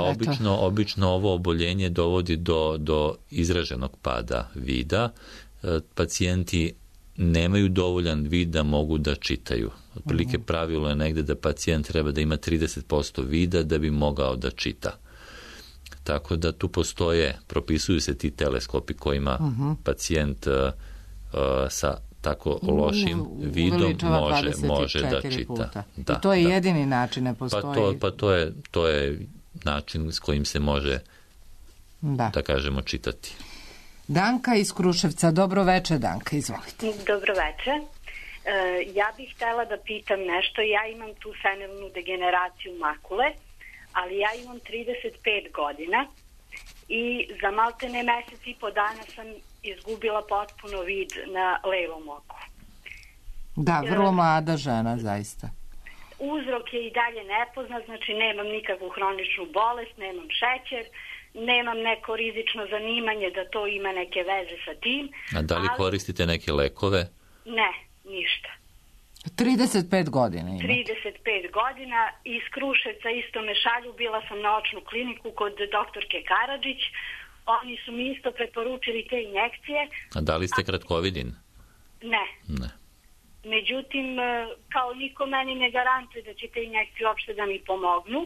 obično ovo oboljenje dovodi do izraženog pada vida. Pacijenti nemaju dovoljan vid da mogu da čitaju. Otprilike pravilo je negde da pacijent treba da ima 30% vida da bi mogao da čita. Tako da tu propisuju se ti teleskopi kojima pacijent sa tako lošim vidom može da čita. Da, i to je jedini način, ne postoji. Pa to je način s kojim se može, da kažemo, čitati. Danka iz Kruševca. Dobro veče, Danka, izvolite. Dobro veče. Ja bih htjela da pitam nešto. Ja imam tu senilnu degeneraciju makule, ali ja imam 35 godina i za maltene mesec i po dana sam izgubila potpuno vid na levom oku. Da, vrlo mlada žena, zaista. Uzrok je i dalje nepoznat, znači nemam nikakvu hroničnu bolest, nemam šećer, nemam neko rizično zanimanje da to ima neke veze sa tim. A da li koristite neke lekove? Ne, ništa. 35 godina ima. 35 godina, iz Kruševca isto me šalju, bila sam na očnu kliniku kod doktorke Karadžić, oni su mi isto preporučili te injekcije. A da li ste kratkovidin? Ne. Međutim, kao niko meni ne garantuje da će te injekcije uopšte da mi pomognu,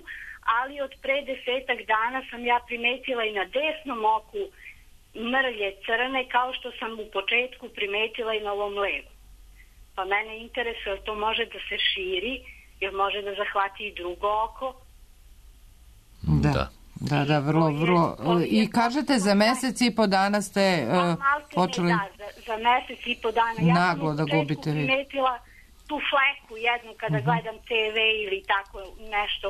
ali od pre 10 dana sam ja primetila i na desnom oku mrlje crne, kao što sam u početku primetila i na ovom levom. Pa mene interesuje, to može da se širi, jer može da zahvati i drugo oko. Da, vrlo. I kažete, za mesec i po dana ste počeli... Za mesec i po dana. Naglo da gubite vid. Ja sam primetila tu fleku jednu kada gledam TV ili tako nešto,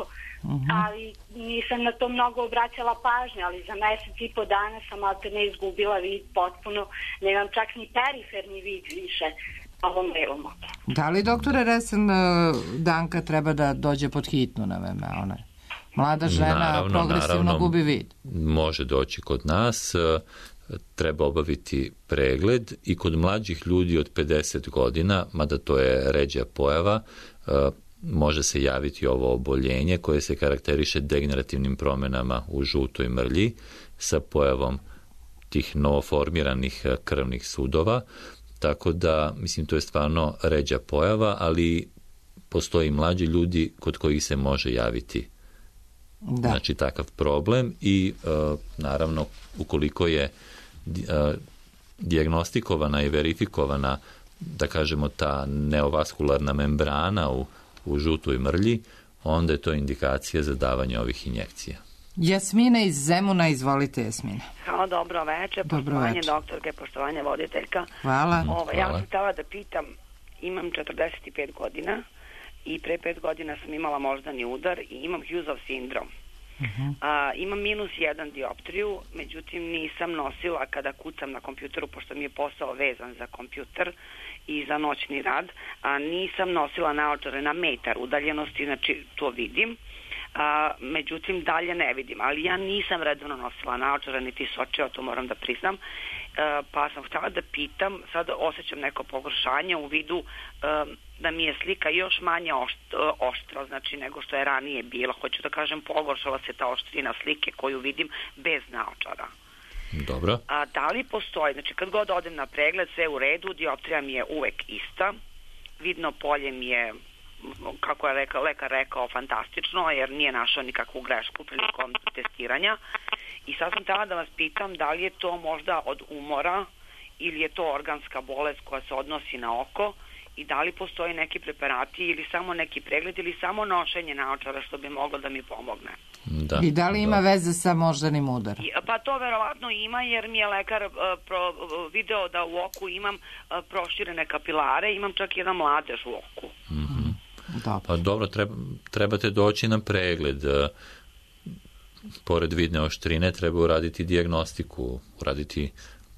ali nisam na to mnogo obraćala pažnju, ali za mesec i po dana sam alterne izgubila vid potpuno, nemam čak ni periferni vid više. Da li, doktore Resen, Danka treba da dođe pod hitnu na VMA? Ona je mlada žena, progresivno gubi vid. Može doći kod nas, treba obaviti pregled i kod mlađih ljudi od 50 godina, mada to je ređa pojava, može se javiti ovo oboljenje koje se karakteriše degenerativnim promenama u žutoj mrlji sa pojavom tih novoformiranih krvnih sudova. Tako da, mislim, to je stvarno ređa pojava, ali postoji mlađi ljudi kod kojih se može javiti znači takav problem i naravno ukoliko je dijagnostikovana i verifikovana, da kažemo, ta neovaskularna membrana u žutoj mrlji, onda je to indikacija za davanje ovih injekcija. Jasmina iz Zemuna, izvolite, Jasmina. Dobro večer, poštovanje doktorke, poštovanje voditeljka. Hvala. Ja sam htjela da pitam, imam 45 godina i pre 5 godina sam imala moždani udar i imam Hughesov sindrom. Imam -1 dioptriju, međutim nisam nosila kada kucam na kompjuteru, pošto mi je posao vezan za kompjuter i za noćni rad, nisam nosila naočare na metar udaljenosti, znači to vidim. Međutim dalje ne vidim, ali ja nisam redovno nosila naočare niti sočeva, to moram da priznam, pa sam htjela da pitam, sad osjećam neko pogoršanje u vidu da mi je slika još manje oštra, znači nego što je ranije bila, hoću da kažem pogoršala se ta oštrina slike koju vidim bez naočara. Dobro. Da li postoji, znači kad god odem na pregled sve u redu, dioptrija mi je uvek ista, vidno polje mi je, kako je lekar rekao, fantastično, jer nije našao nikakvu grešku prilikom testiranja. I sad sam htjela da vas pitam da li je to možda od umora ili je to organska bolest koja se odnosi na oko i da li postoji neki preparati ili samo neki pregled ili samo nošenje naočara što bi moglo da mi pomogne. Da, i da li ima veze sa moždanim udarom? Pa to verovatno ima, jer mi je lekar video da u oku imam proširene kapilare, imam čak jedan mladež u oku. Pa dobro, trebate doći na pregled. Pored vidne oštrine treba uraditi dijagnostiku, uraditi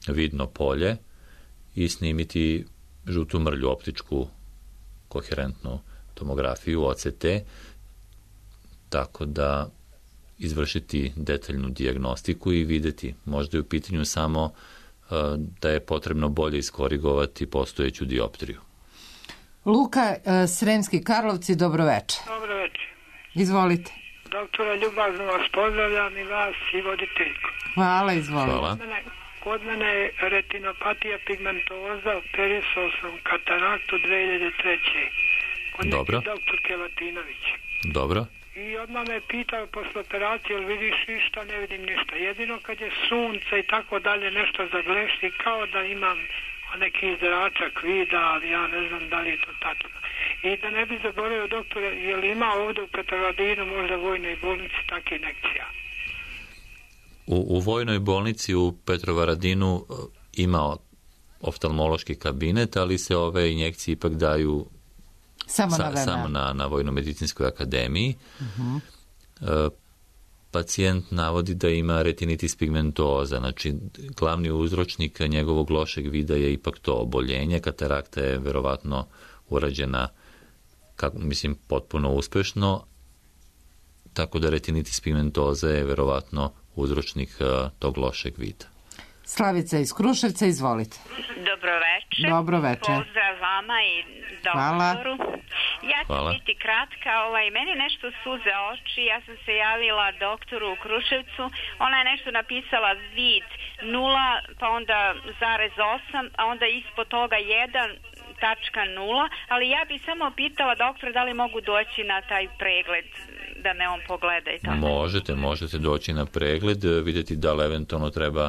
vidno polje i snimiti žutu mrlju, optičku koherentnu tomografiju, OCT, tako da izvršiti detaljnu dijagnostiku i vidjeti. Možda je u pitanju samo da je potrebno bolje iskorigovati postojeću dioptriju. Luka, Sremski Karlovci, dobroveče. Dobroveče. Izvolite. Doktore, ljubazno vas pozdravljam i vas i voditeljku. Hvala, izvolite. Hvala. Kod mene je retinopatija pigmentoza, operisao sam kataraktu 2003. Kod Dobro. neki doktor Kevatinović. Dobro. I odmah me pitao posle operacije, jel vidiš ništa, ne vidim ništa. Jedino kad je sunce i tako dalje nešto zaglešti, kao da imam neki zračak vida, ali ja ne znam da li je to tačno. I da ne bi zaboravio, doktore, je li ima ovdje u Petrovaradinu, možda u vojnoj bolnici, takve injekcija? U vojnoj bolnici u Petrovaradinu ima oftalmološki kabinet, ali se ove injekcije ipak daju samo na Vojno-medicinskoj akademiji. Pacijent navodi da ima retinitis pigmentoza, znači glavni uzročnik njegovog lošeg vida je ipak to oboljenje. Katarakta je verovatno urađena, potpuno uspešno, tako da retinitis pigmentoza je verovatno uzročnik tog lošeg vida. Slavica iz Kruševca, izvolite. Dobroveče. Dobroveče. Pozdrav vama i doktoru. Ja ću biti kratka. Meni nešto suze oči. Ja sam se javila doktoru u Kruševcu. Ona je nešto napisala vid 0, pa onda 0,8, a onda ispod toga 1,0, ali ja bih samo pitala doktora da li mogu doći na taj pregled, da me on pogleda i tako. Možete doći na pregled, vidjeti da li eventualno treba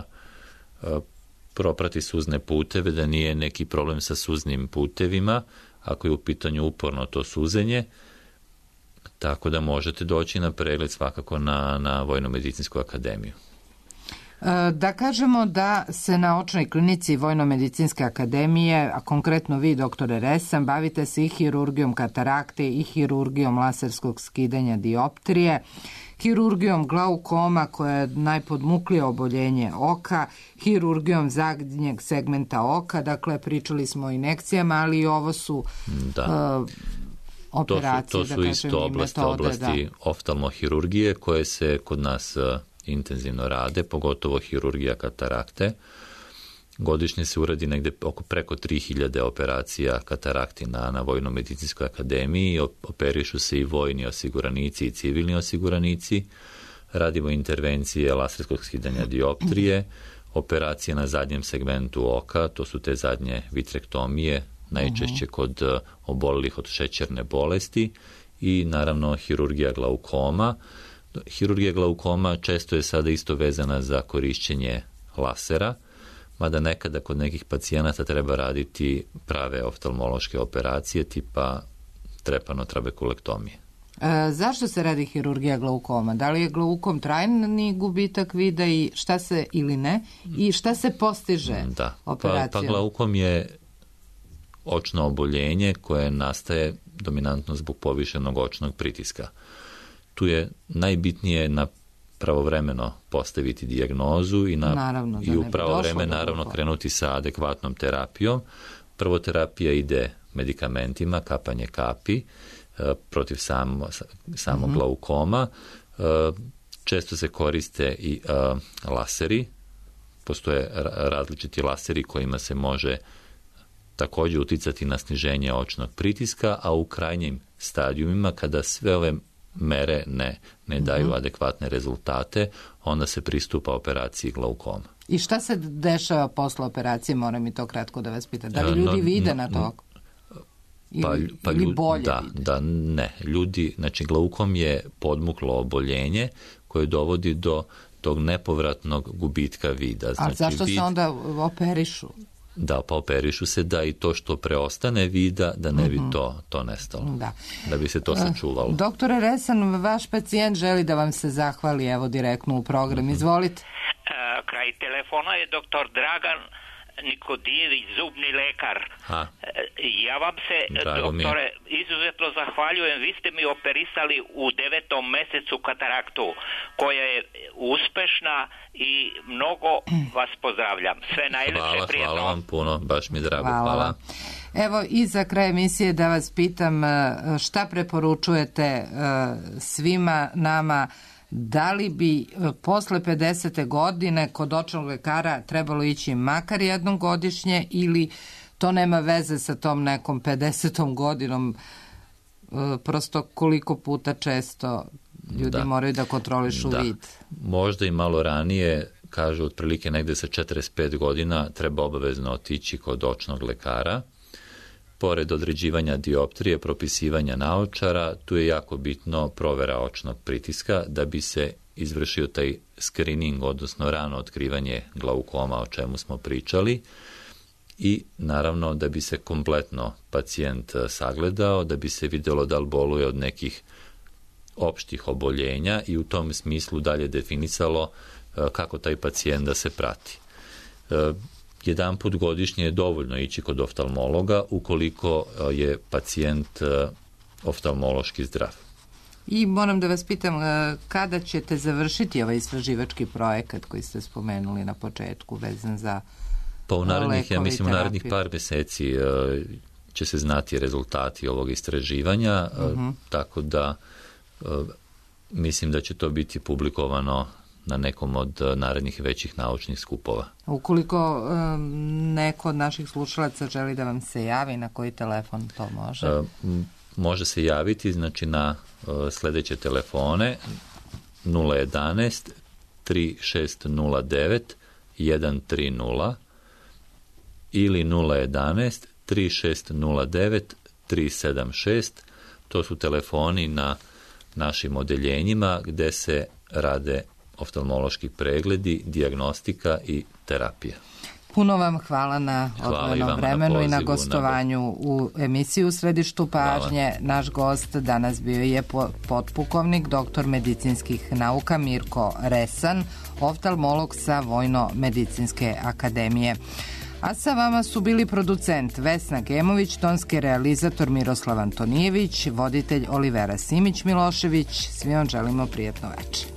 proprati suzne puteve, da nije neki problem sa suznim putevima, ako je u pitanju uporno to suzenje, tako da možete doći na pregled svakako na Vojno-medicinsku akademiju. Da kažemo da se na očnoj klinici Vojno-medicinske akademije, a konkretno vi, doktore Resan, bavite se i hirurgijom katarakte i hirurgijom laserskog skidanja dioptrije, hirurgijom glaukoma koja je najpodmuklije oboljenje oka, hirurgijom zadnjeg segmenta oka, dakle pričali smo o injekcijama, ali i ovo su operacije. To su isto oblasti oftalmohirurgije koje se kod nas intenzivno rade, pogotovo hirurgija katarakte. Godišnje se uradi negde preko 3000 operacija katarakti na Vojno-medicinskoj akademiji. Operišu se i vojni osiguranici i civilni osiguranici. Radimo intervencije laserskog skidanja dioptrije, operacije na zadnjem segmentu oka, to su te zadnje vitrektomije, najčešće kod obolelih od šećerne bolesti, i naravno hirurgija glaukoma. Hirurgija glaukoma često je sada isto vezana za korišćenje lasera, mada nekada kod nekih pacijenata treba raditi prave oftalmološke operacije tipa trepanotrabekulektomije. Zašto se radi hirurgija glaukoma? Da li je glaukom trajni gubitak vida i šta se ili ne? I šta se postiže operacijom? Pa glaukom je očno oboljenje koje nastaje dominantno zbog povišenog očnog pritiska. Tu je najbitnije pravovremeno postaviti dijagnozu i u pravo vreme naravno krenuti sa adekvatnom terapijom. Prvo terapija ide medikamentima, kapanje kapi protiv samog glaukoma. Često se koriste i laseri. Postoje različiti laseri kojima se može također uticati na sniženje očnog pritiska, a u krajnjim stadijumima kada sve ove mere ne daju adekvatne rezultate, onda se pristupa operaciji glaukoma. I šta se dešava posle operacije, moram i to kratko da vas pitam? Da li ljudi vide na to? ili bolje vide? Da, ne. Ljudi, znači glaukom je podmuklo oboljenje koje dovodi do tog nepovratnog gubitka vida. Znači, a zašto se onda operišu? Da, pa operišu se da i to što preostane vida, da ne bi to nestalo. Da bi se to sačuvalo. Doktore Resan, vaš pacijent želi da vam se zahvali, evo direktno u program. Izvolite. Kraj telefona je doktor Dragan Nikodijević, zubni lekar. Ja vam se, doktore, izuzetno zahvaljujem. Vi ste mi operisali u 9. mesecu kataraktu, koja je uspešna i mnogo vas pozdravljam. Sve najlepše, prijatno. Hvala vam puno, baš mi drago. Hvala. Evo, i za kraj emisije da vas pitam šta preporučujete svima nama. Da li bi posle 50. godine kod očnog lekara trebalo ići makar jednom godišnje ili to nema veze sa tom nekom 50. godinom, prosto koliko puta često ljudi moraju da kontrolišu vid? Možda i malo ranije, kažu otprilike negde sa 45 godina treba obavezno otići kod očnog lekara. Pored određivanja dioptrije, propisivanja naočara, tu je jako bitno provera očnog pritiska da bi se izvršio taj screening, odnosno rano otkrivanje glaukoma, o čemu smo pričali, i naravno da bi se kompletno pacijent sagledao, da bi se vidjelo da li boluje od nekih opštih oboljenja i u tom smislu dalje definisalo kako taj pacijent da se prati. Jedan put godišnje je dovoljno ići kod oftalmologa ukoliko je pacijent oftalmološki zdrav. I moram da vas pitam, kada ćete završiti ovaj istraživački projekat koji ste spomenuli na početku vezan za pa u narednih, ja mislim, u narednih par meseci će se znati rezultati ovog istraživanja, tako da mislim da će to biti publikovano na nekom od narednih većih naučnih skupova. Ukoliko neko od naših slušalaca želi da vam se javi, na koji telefon to može? Može se javiti, znači na sledeće telefone 011 3609 130 ili 011 3609 376. To su telefoni na našim odeljenjima gde se rade oftalmološki pregledi, dijagnostika i terapija. Puno vam hvala na odvojenom vremenu i na gostovanju u emisiji U središtu pažnje. Hvala. Naš gost danas bio je potpukovnik, doktor medicinskih nauka Mirko Resan, oftalmolog sa Vojno-medicinske akademije. A sa vama su bili producent Vesna Gemović, tonski realizator Miroslav Antonijević, voditelj Olivera Simić-Milošević. Svi vam želimo prijatno večer.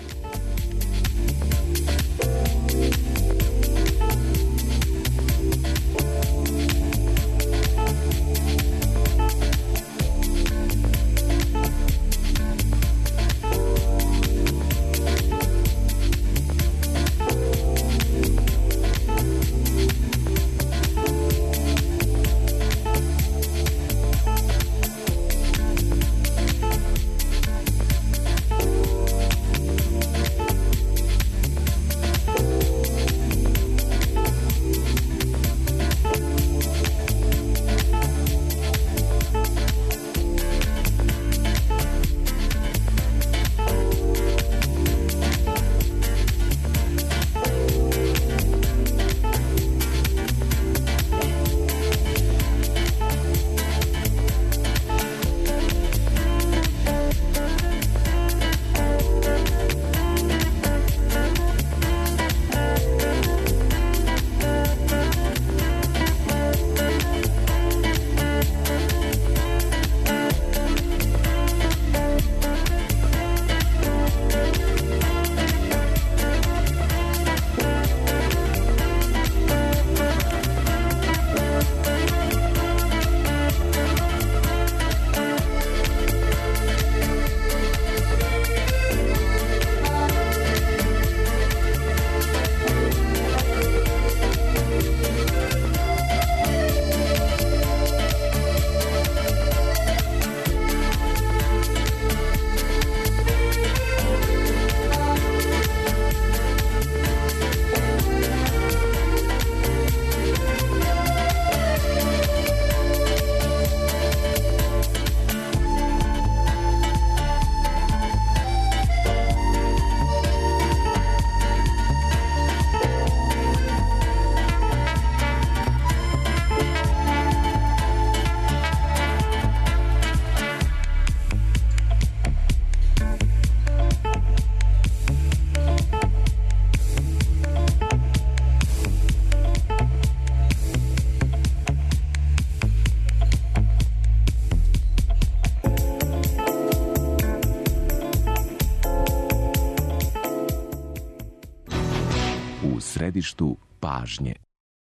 središtu pažnje.